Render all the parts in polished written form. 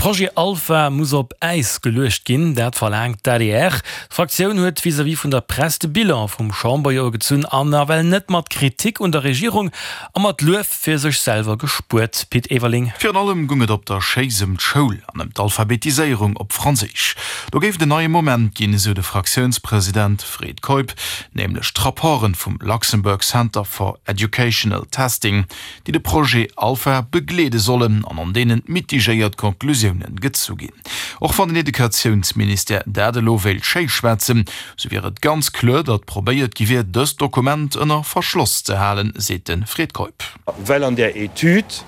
Projet Alpha muss op Äis geluecht ginn, dat verlaangt d'ADR. D'Fraktioun huet vis-à-vis vun der Press de Bilan vum Chamberjoer gezunn an nawell net mat Kritik un der Regierung a mat Luef fir sech selwer gespuert. Pit Everling. Virun allem gung et op der Schéiss ëm d'Schoul an ëm d'Alphabetiséierung op Franséisch. Do géif et en neie Moment ginn, esou de Fraktiounspresident Fred Keup, nämlech d'Rapporte vum Luxembourg Center for Educational Testing, déi de Projet Alpha begleede sollen an an deenen mitigéiert Conclusiounen gezu ginn. Och wann den Educatiounsministère dat elo wéilt schéischwätzen, sou wier et ganz kloer, datt probéiert gi wier, dëst Dokument ënner Verschloss ze halen, seet de Fred Keup. Well an där Etüd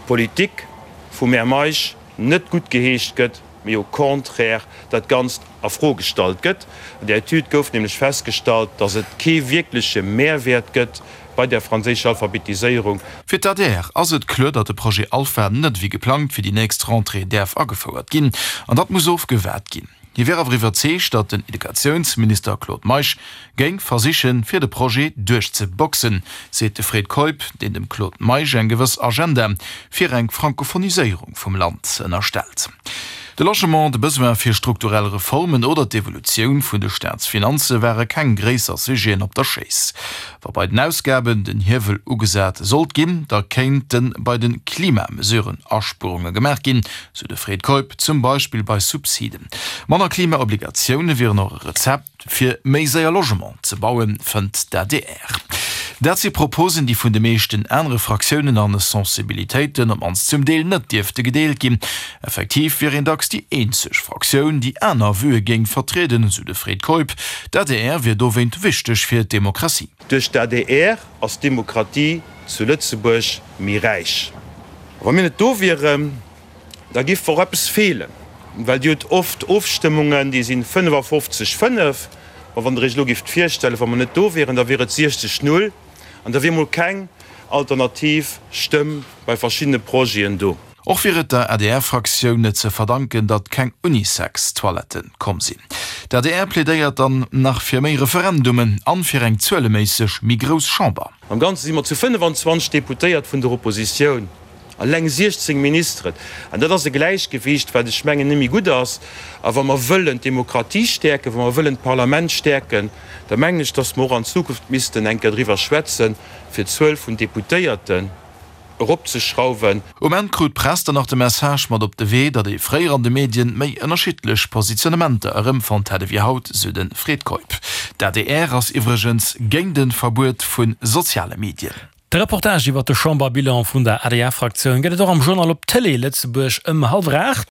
d'Politik vum Här Meisch net guttgeheescht gëtt, mee au contraire dat Ganzt a Fro gestallt gëtt. An där Etüd gouf nämlech festgestallt, datt et kee wierkleche Mehrwäert gëtt bei der franséischer Alphabetiséierung. Fir d'ADR ass et kloer, datt de Projet Alpha net ewéi geplangt fir déi nächst Rentrée däerf agefouert ginn an datt muss ofgewaart ginn. Hie wier awer iwwerzeegt, datt den Educatiounsminister Claude Meisch géing versichen, fir de Projet duerchzeboxen, seet de Fred Keup, deen dem Claude Meisch eng gewëss Agenda fir eng Frankophoniséierung vum Land ënnerstellt. De Logement, de Besoin fir strukturell Reformen oder d'Evolutioun vun de Staatsfinanze ware keng gréisser Sujeten op der Schéiss. Wa bei den Ausgaben den Hiewel ugesat sollt ginn, da kéinte bei de Klimamesuren Aspuerunge gemaach ginn, sou de Fred Keup, zum Beispill bei Subsiden. Manner Klimaobligatioune wieren och e Rezept. Fir méi séier Logement ze bauen, fënnt d'ADR. Dat si Proposen, déi vun de meeschten anere Fraktiounen an Sensibilitéiten, op mannst zum Deel, net dierfte gedeelt ginn. Effektiv wier een dacks déi eenzeg Fraktioun, déi aner Vuë géing vertrieden, sou de Fred Keup. D'ADR wier dowéint wichteg fir d'Demokratie. Duerch d'ADR ass d'Demokratie zu Lëtzebuerg méi räich. A wa mir net do wieren, Da giff och eppes feelen, well Dir hutt oft Ofstëmmungen, déi sinn 55, 5. Ma wann Der Iech elo gifft virstellen, wa mer net do wieren, da wier et 60, 0 an da wier mol keng alternativ Stëmm bei verschiddene Projeten do. Och wier et der ADR-Fraktioun net ze verdanken, datt keng Unisex-Toiletten komm sinn. D'ADR plädéiert dann nach fir méi Referendumen an fir eng zueleméisseg méi grouss Chamber. Am Ganze si mer zu 25 Deputéiert vun der Oppositioun. Eleng 16 Ministeren. An dat ass e Gläichgewicht, wat ech mengen net méi gutt ass. A wa mer wëllen d'Demokratie stäerken, wa mer wëllen d'Parlament stäerken, da mengen ech, datt mer och an Zukunft missten eng Kéier driwwer schwätzen, fir d'Zuel vun Deputéierten eropzeschrauwen. Um Enn krut d'Press dann nach de Message mat op de Wee, datt ee fréier an de Medien méi ënnerschiddlech Positionnementer erëmfonnt hätt ewéi haut, sou de Fred Keup. D'ADR ass iwwregens géint e Verbuet vu soziale Medien. De Reportage iwwer de Chamberbilan vun der ADR-Fraktioun gëtt et och am Journal op Télé Lëtzebuerg ëm hallwer 8.